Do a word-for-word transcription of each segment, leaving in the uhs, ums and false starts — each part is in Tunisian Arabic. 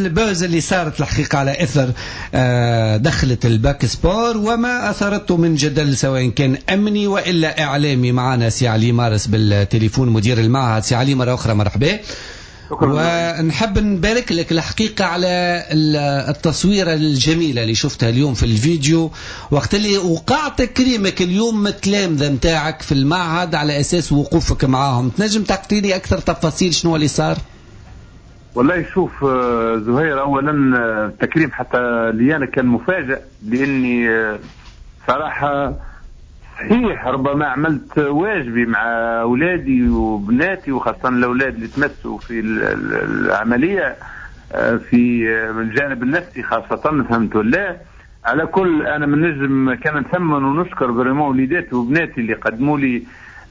ال buzz اللي صارت الحقيقة على اثر دخلت ال bac sport وما اثرته من جدل سواء كان امني والا اعلامي. معنا سي علي مارس بالتليفون مدير المعهد. سي علي مرة اخرى مرحبا، ونحب نبارك لك الحقيقة على التصويرة الجميلة اللي شفتها اليوم في الفيديو وقت اللي وقع تكريمك اليوم التلامذة متاعك في المعهد على أساس وقوفك معاهم. تنجم تعطيني أكثر تفاصيل شنو اللي صار؟ والله شوف زهير، أولا التكريم حتى لي أنا كان مفاجئ، لأني صراحة صحيح ربما عملت واجبي مع أولادي وبناتي، وخاصة الأولاد اللي تمسوا في العملية في الجانب النفسي خاصة، فهمت ولا؟ على كل أنا من نجم كان نثمن ونشكر vraiment وليداتي وبناتي اللي قدموا لي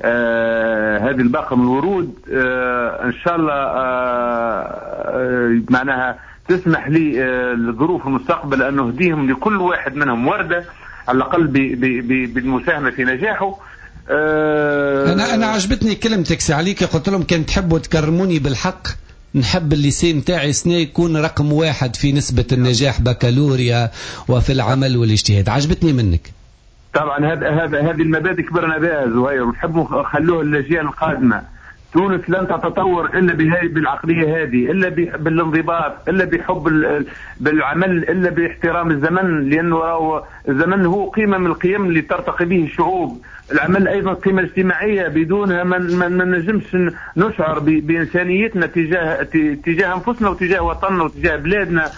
آه هذه الباقة من الورود. آه إن شاء الله آه معناها تسمح لي آه الظروف المستقبل أن نهديهم لكل واحد منهم وردة على الأقل بالمساهمة في نجاحه. أه أنا أنا عجبتني كلمتك سي عليك، قلت لهم كان تحبوا تكرموني بالحق نحب ال lycée نتاعي سنة يكون رقم واحد في نسبة النجاح بكالوريا وفي العمل والاجتهاد. عجبتني منك. طبعا هذا هذا هذه المبادئ كبرنا بها زهير، ونحب نخلوها للأجيال القادمة. تونس لن تتطور إلا بهذه بالعقلية هذه، إلا بالانضباط، إلا بحب بالعمل، إلا باحترام الزمن، لأنه راهو الزمن هو قيمة من القيم اللي ترتقي به الشعوب. العمل أيضا قيمة اجتماعية بدونها ما ما نجمش نشعر بإنسانيتنا تجاه تجاه أنفسنا وتجاه وطننا وتجاه بلادنا.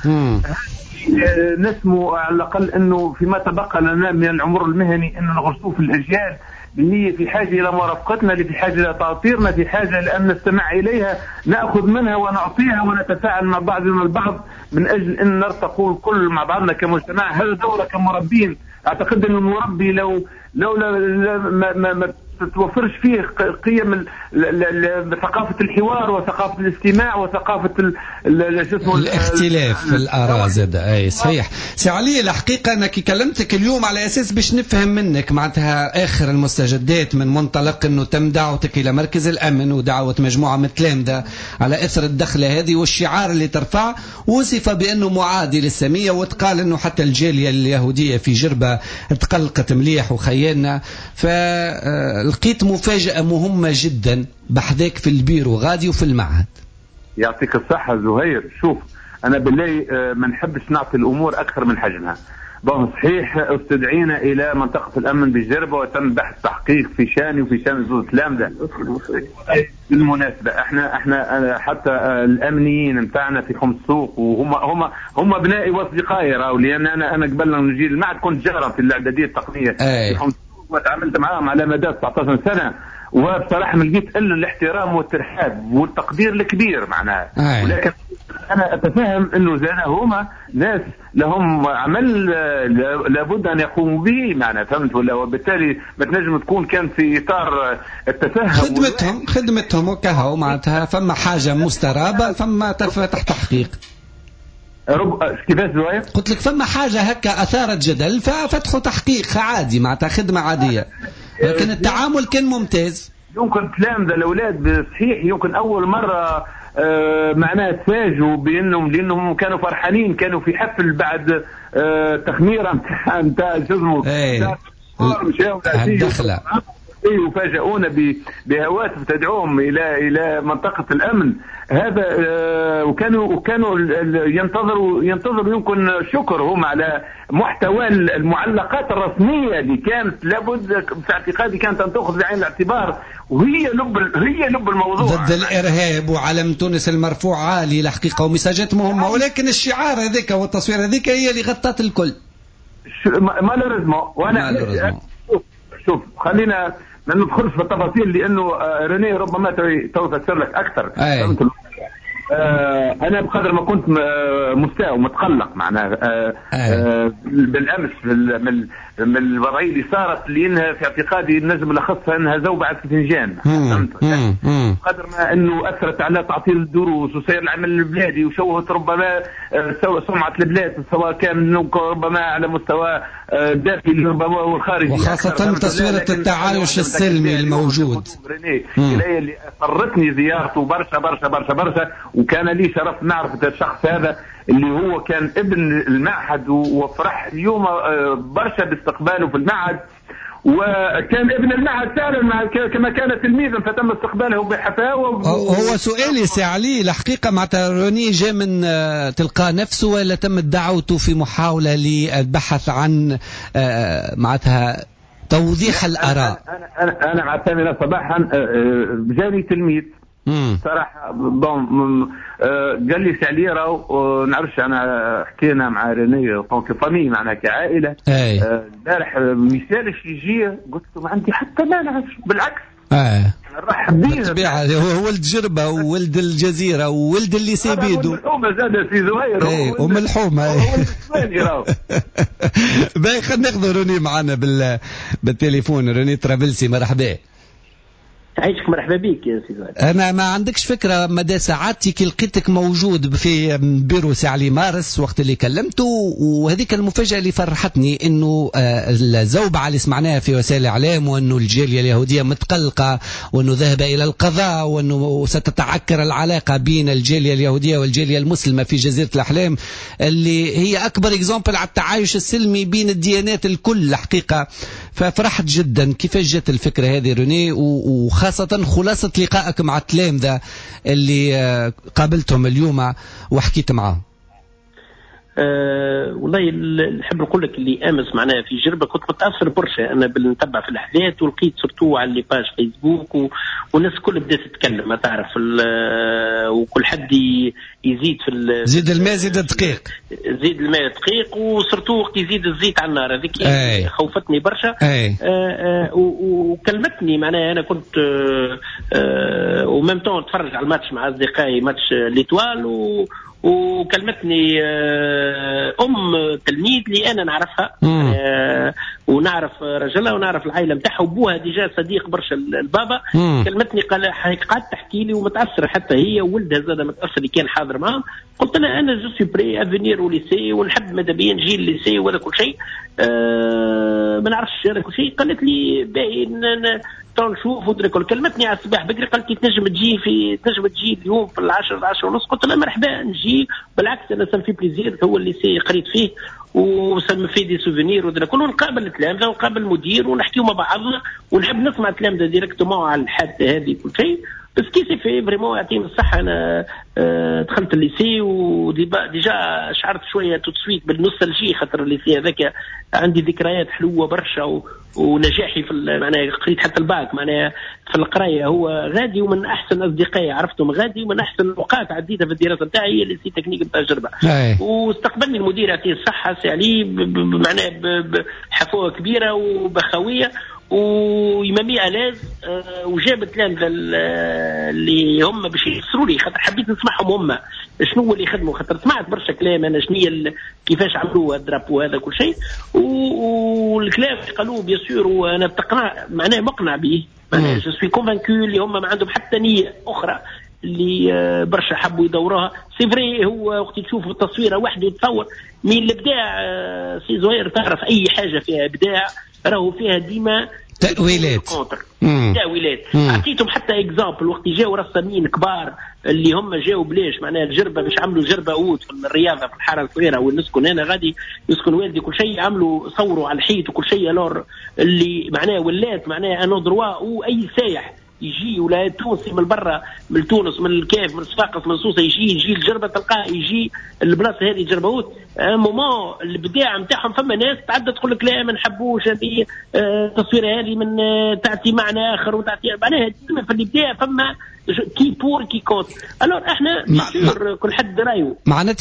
نسمو على الأقل أنه فيما تبقى لنا من العمر المهني أنه نغرسوه في الأجيال اللي هي في حاجة إلى مرافقتنا، اللي في حاجة إلى تأطيرنا، في حاجة لأن نستمع إليها، نأخذ منها ونعطيها ونتفاعل مع بعضنا البعض من أجل أن نرتقوا الكل مع بعضنا كمجتمع. هذا دورة كمربين. أعتقد أن المربي لو لو ما, ما, ما تتوفرش فيه قيم ثقافة الحوار وثقافة الاستماع وثقافة الاختلاف في الآراء زاد. أي صحيح سي علي، الحقيقة أنا كي كلمتك اليوم على أساس باش نفهم منك معناتها آخر المستجدات من منطلق أنه تم دعوتك إلى مركز الأمن ودعوة مجموعة من التلامذة على إثر الدخلة هذه والشعار اللي ترفع وصف بأنه معادي للسامية، وتقال أنه حتى الجالية اليهودية في جربة تقلقت مليح وخيالنا. ف لقيت مفاجأة مهمة جدا بحذاك في البيرو غادي وفي المعهد. يعطيك الصحة زهير. شوف أنا بالله ما نحبش نعطي الأمور أكثر من حجمها. bon صحيح استدعينا إلى منطقة الأمن بالجربة وتم بحث تحقيق في شاني وفي شان زوز تلامذة. بالمناسبة احنا احنا حتى الأمنيين نتاعنا في حومة السوق وهم هم هم أبنائي وأصدقائي راهو، لأن أنا أنا قبل أن نجي المعهد كنت جارا في الإعدادية التقنية في حومة وتعاملت معاهم على مدى تسعة عشر سنة، وبصراحة ما لقيت إلا الاحترام والترحاب والتقدير الكبير معناها. ولكن أنا أتفهم أنه زانا هما ناس لهم عمل لابد أن يقوموا به معناها، فهمت ولا؟ وبالتالي ما تنجم تكون كان في إطار التفهم خدمتهم خدمتهم وكهو معناتها. فما حاجة مسترابة، فما تحت تحقيق. رب كيفاش زهير؟ قلت لك فما حاجة هكا أثارت جدل ففتحوا تحقيق عادي معناتها خدمة عادية، لكن التعامل كان ممتاز. يمكن تلامذة الأولاد صحيح يمكن أول مرة آه معناها تفاجئوا بأنهم لأنهم كانوا فرحانين، كانوا في حفل بعد آه تخميرة نتاع نتاع جزمه الدخلة وفاجئونا بهواتف تدعوهم الى الى منطقة الامن هذا. وكانوا وكانوا ينتظروا ينتظروا يمكن شكر هم على محتوى المعلقات الرسمية اللي كانت لابد في اعتقادي كانت ان تاخذ بعين الاعتبار، وهي لب هي لب الموضوع ضد الارهاب وعلم تونس المرفوع عالي الحقيقة ومساجات مهمة، ولكن الشعار هذاك والتصوير هذيك هي اللي غطت الكل. malheureusement وانا شوف خلينا ما ندخلش في التفاصيل لانه ريني ربما تو تفسر لك اكثر. آه انا بقدر ما كنت مستاء ومتقلق معناها آه آه بالامس من من الوضعية اللي صارت، لانها في اعتقادي النجم لخصها انها زوبعة فنجان. فهمت؟ بقدر ما انه اثرت على تعطيل الدروس وسير العمل البلادي وشوهت ربما سمعه البلاد سواء كان ربما على مستوى الداخلي ربما والخارجي، وخاصة تصويره التعايش السلمي الموجود. اللي اضطرتني زيارته برشا برشا برشا برشا، وكان لي شرف معرفة الشخص هذا اللي هو كان ابن المعهد، وفرح اليوم برشا باستقباله في المعهد، وكان ابن المعهد فعلا كما كان تلميذا فتم استقباله بحفاوه. هو سؤالي سي علي الحقيقة معناتها روني جاء من تلقى نفسه ولا تمت دعوته في محاولة للبحث عن معناتها توضيح الاراء؟ انا انا انا مع الثامنة صباحا جاني تلميذ صراحة bon قال لي سي علي راهو نعرفش، انا حكينا مع ريني en tant que famille معناها كعائله البارح ما يسالش يجي، قلت له ما عندي حتى مانع بالعكس اه نرحب بيه. بالطبيعة هو ولد جربه وولد الجزيرة وولد ال lycée بيدو، الحومه زاد سي زهير اي ومن الحومه هو. باهي خلينا ناخذ روني معنا بال... بالتليفون. روني ترابلسي مرحبا. عايشك، مرحبا بك يا سي زهير. انا ما عندكش فكرة مدى سعادتي كي لقيتك موجود في بيرو سي علي مارس وقت اللي كلمته، وهذيك المفاجاة اللي فرحتني انه الزوبعه اللي سمعناها في وسائل الاعلام وانه الجالية اليهودية متقلقه وانه ذهب الى القضاء وانه ستتعكر العلاقة بين الجالية اليهودية والجاليه المسلمة في جزيرة الاحلام اللي هي اكبر exemple على التعايش السلمي بين الديانات الكل الحقيقة. ففرحت جدا. كيفاش جت الفكرة هذه روني، وخاصة خلاصة لقائك مع التلامذة اللي قابلتهم اليوم وحكيت معاهم؟ أه والله نحب نقول لك اللي امس معناها في جربه كنت متاثر برشا انا بالنتبع في الاحداث، ولقيت surtout على les pages فيسبوك و... والناس الكل بدات تتكلم، ما تعرف وكل حد يزيد في ال... زيد الماء زيد الدقيق، زيد الماء دقيق، و surtout وقت يزيد الزيت على النار هذيك خوفتني برشا. آه آه وكلمتني معناها انا كنت آه و même temps نتفرج على الماتش مع اصدقائي match l'Étoile و وكلمتني ام تلميذ اللي انا نعرفها آه ونعرف رجلها ونعرف العائلة نتاعها وبوها déjà صديق برشا البابا. مم. كلمتني قال قعدت تحكي لي ومتاثره حتى هي وولدها زاد متاثر اللي كان حاضر معاهم. قلت لها انا je suis prêt à venir au lycée ونحب ماذا بيا نجي ال lycée ولا كل شيء، آه ما نعرفش انا كل شيء. قالت لي باهي نشوف ودرك. كلمتني على الصباح بكري قالت لي تنجم تجي في تنجم تجي اليوم في العشرة العشرة ونص. قلت لها مرحبا نجي، بالعكس انا ça me fait plaisir، هو ال lycée قريت فيه و ça me fait des souvenirs ودرك كله. ونقابل التلامذه ونقابل المدير ونحكيو مع بعضنا ونحب نسمع التلامذه directement على الحادثة هذه كل شيء. ce qui s'est fait vraiment يعطيهم الصحة. انا دخلت ال lycée و déjà شعرت شوية tout de suite بال nostalgie، خاطر ال lycée هذاك عندي ذكريات حلوة برشا ونجاحي في معناها قريت حتى الباك معناها في القراية هو غادي، ومن احسن اصدقائي عرفتهم غادي، ومن احسن الاوقات عديتها في الدراسة نتاعي هي lycée technique نتاع جربه. واستقبلني المدير يعطيه الصحة سي علي معناها بحفوه كبيرة وبخويه و il m'a mis à l'aise، وجاب التلامذه اللي هم باش يفسروا لي، خاطر حبيت نسمعهم هم شنو هو اللي خدموا، خاطر سمعت برشا كلام انا شنو كيفاش عملوا ال drapeau هذا كل شيء، والكلام اللي قالوه bien sûr وانا بتقنع معناه مقنع به، معناه je suis convaincu اللي هم ما عندهم حتى نيه اخرى اللي برشا حبوا يدوروها. c'est vrai هو وقت تشوف التصويره وحده يتصور من الابداع سي زهير، تعرف اي حاجة فيها ابداع راهو فيها ديما تأويلات تأويلات. اعطيتهم حتى exemple وقت جاوا رسامين كبار اللي هم جاوا بلاش معناها الجربه باش عملوا جربه haute في الرياضة في الحارة الصغيرة وين نسكن انا غادي يسكن والدي كل شيء، عملوا صوروا على الحيط وكل شيء. alors اللي معناها ولات معناها un endroit واي سايح يجي ولا تونسي من برا من تونس من الكاف من صفاقس من سوسة يجي يجي الجربه تلقاه يجي البلاصة هذه جربه haute. moment الابداع نتاعهم فما ناس تعدى تقول لك لا ما نحبوش هذه التصويره هذه من تعطي معنى اخر وتعطي معناها ديما في الابداع فما qui pour qui contre. alors احنا كل حد رايه معناتها.